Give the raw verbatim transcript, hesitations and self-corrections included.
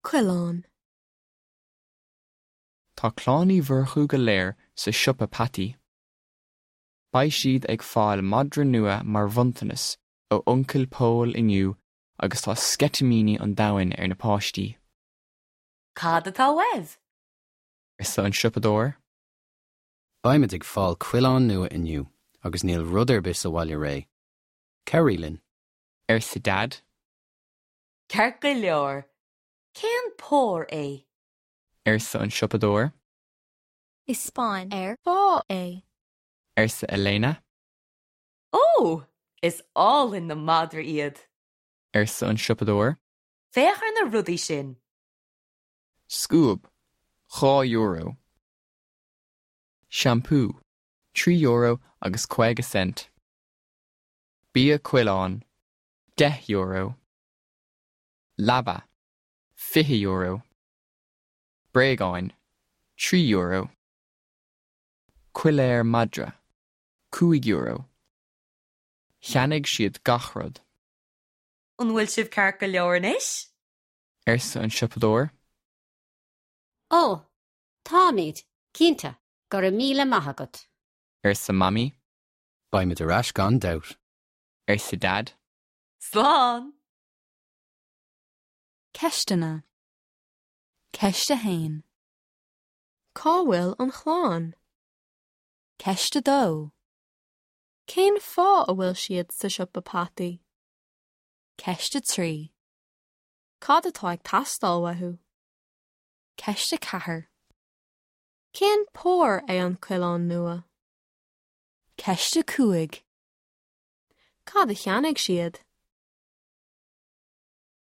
Coileán. Tá Clann Uí Mhurchú go léir sa siopa peataí. Beidh siad ag fáil madra nua mar bhronntanas ó Uncail Pól inniu agus tá sceitimíní an domhain ar na páistí. Cad atá uaibh? Arsa an siopadóir. Beimid ag fáil coileán nua inniu agus níl rud ar bith sa bhaile réidh. Cabhraigh linn. Arsa Dad. Ceart go leor. Cén pór é? Arsa an siopadóir. Is bán ar fáth é. Arsa Elena. Ó, is álainn na madraí iad. Arsa an siopadóir. Féach ar na rudaí sin. Scuab, dhá euro. Seampú, trí euro agus caoga cent. Bia coileáin, deich euro. Leaba, fiche euro. Bréagáin, trí euro. Coiléar madra, cúig euro. Cheannaigh siad gach rud. An bhfuil sibh ceart go leor anois? Arsa an siopadóir. Ó, táimid, cinnte, go raibh míle maith agat. Arsa Mamaí. Beimid ar ais gan dabht. Arsa Dad. Slán! Ceisteanna. Ceist a haon. Cá bhfuil an chlann? Ceist a dó. Cén fáth a bhfuil siad sa siopa peataí? Ceist a trí. Cad atá ag teastáil uathu? Ceist a ceathair. Cén pór é an coileán nua? Ceist a cúig. Cad a cheannaigh siad?